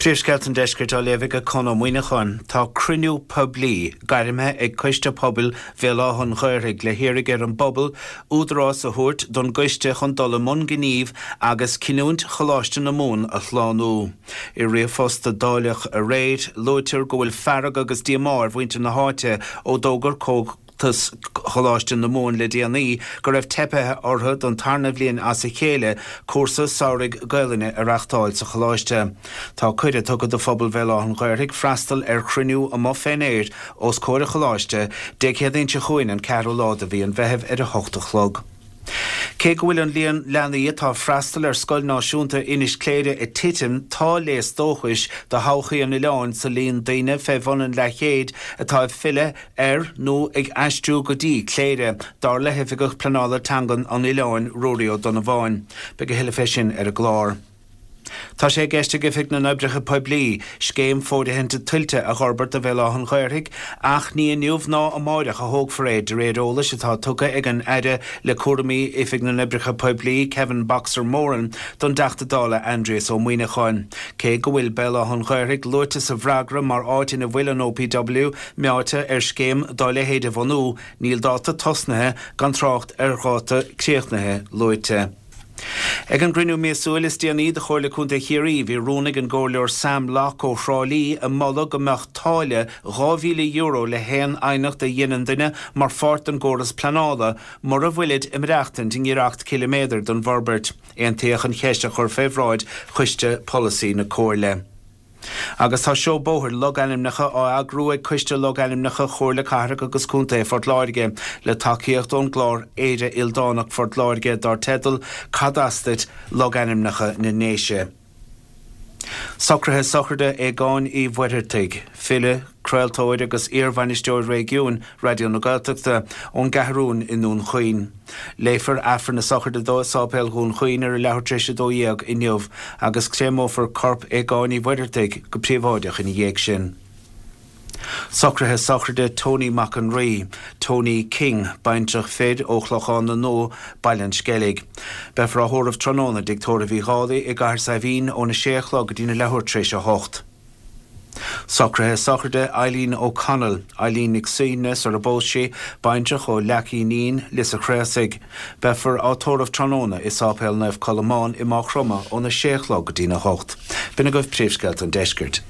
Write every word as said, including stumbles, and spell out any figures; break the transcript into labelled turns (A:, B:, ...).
A: Príomhscéalta an Deiscirt á léamh ag Conn Ó Muíneacháin. Tá cruinniú poiblí gairmthe ag Coiste Pobail Bhéal Átha an Ghaorthaidh le hiarraidh ar an bpobal údarás a thabhairt don gcoiste chun dul i mbun gnímh agus cinniúint Choláiste na Mumhan a shlánú. I ríomhphost a dáileadh aréir, luaitear go bhfuil fearg agus díomá ar mhuintir na háite ó d'fhógair Comhaltas Choláiste na Mumhan le déanaí go raibh teipthe orthu don tarna bhliain as a chéile cúrsa samhraidh Gaelainne a reáchtáil sa choláiste. Tá cuireadh tugtha do phobal Bhéal Átha an Ghaorthaidh freastal ar chruinniú amuigh fén aer os comhair an choláiste Dé Céadaoin seo chugainn an ceathrú lá de mhí an Mheithimh ar a hocht a chlog. Cé go bhfuil an líon leanaí atá ag freastal ar Scoil Náisiúnta Inis Cléire ag titim, tá léas dóchais do thodhchaí an oileáin sa líon daoine fé bhun an leathchéid atá ag filleadh ar nó ag aistriú go dtí Cléire, dar le hOifigeach Pleanála Teangan an oileáin, Ruairí Ó Donnabháin. Beidh a thuilleadh fé sin ar an gclár. Tá sé i gceist ag Oifig na nOibreacha Poiblí scéim fóirithinte tuilte a dh'fhorbairt do Bhéal Átha an Ghaorthaidh ach ní inniu ná amáireach a thógfar é, de réir eolais atá tugtha ag an Aire le cúraimí Oifig na nOibreacha Poiblí, Kevin Boxer Moran, don dTeachta Dála Aindrias Ó Muíneacháin. Cé go bhfuil Béal Átha an Ghaorthaidh luaite sa bhfreagra mar áit ina bhfuil an OPW meáite ar scéim dá leithéid a bhunú, níl dáta tosnaithe, gan trácht ar dháta críochnaithe, luaite. Ag an gcruinniú míosúil is déanaí de Chomhairle Contae Chiarraí, bhí rún ag an gComhairleoir Sam Locke ó Thrá Lí ag moladh go mbeadh táille dhá mhíle euro le haon aighneacht a dheineann duine mar pháirt den gcóras pleanála mura bhfuilid ag maireachtaint i ngiorracht ciliméadair don bhforbairt. Aontaíodh an cheist a chur fé bhráid Choiste Polasaí na Comhairle. Agus tá seó bóthair logainmneacha á eagrú ag Coiste Logainmneacha Chomhairle Cathrach agus Contae Phort Láirge le tacaíocht ón gclár Éire Ildánach Phort Láirge dar teideal Cad as duit, Logainmneacha na nDéise. Socruithe sochraide Aogáin Uí Mhuircheartaigh, file, craoltóir agus iar-bhainisteoir réigiúin Raidió na Gaeltachta, ón gCeathrúin i nDún Chaoin. Léifear Aifreann na sochraide dó i Sáipéal Dhún Chaoin ar a leathuair tar éis a dó dhéag inniu agus créamófar corp Aogáin Uí Mhuircheartaigh go príobháideach ina dhiaidh sin. Socruithe sochraide Tony Mac an Rí, Tony King, baintreach fir ó Chlochán na Nua, Baile an Sceilg. Beifear á thórramh tráthnóna i dTigh Tórraimh Uí Dhálaigh i gCathair Saidhbhín óna sé a chlog go dtína leathuair tar éis a hocht. Socruithe sochraide Eileen O'Connell, Eileen Nic Suibhne sar a bpós sí, baintreach ó Leac Uí Nín, Lios a' Chraosaigh. Beifear á tórramh tráthnóna i Sáipéal Naomh Colmán i Máigh Chromtha óna sé a chlog go dtína hocht. B'in agaibh príomhscéalta an deiscirt.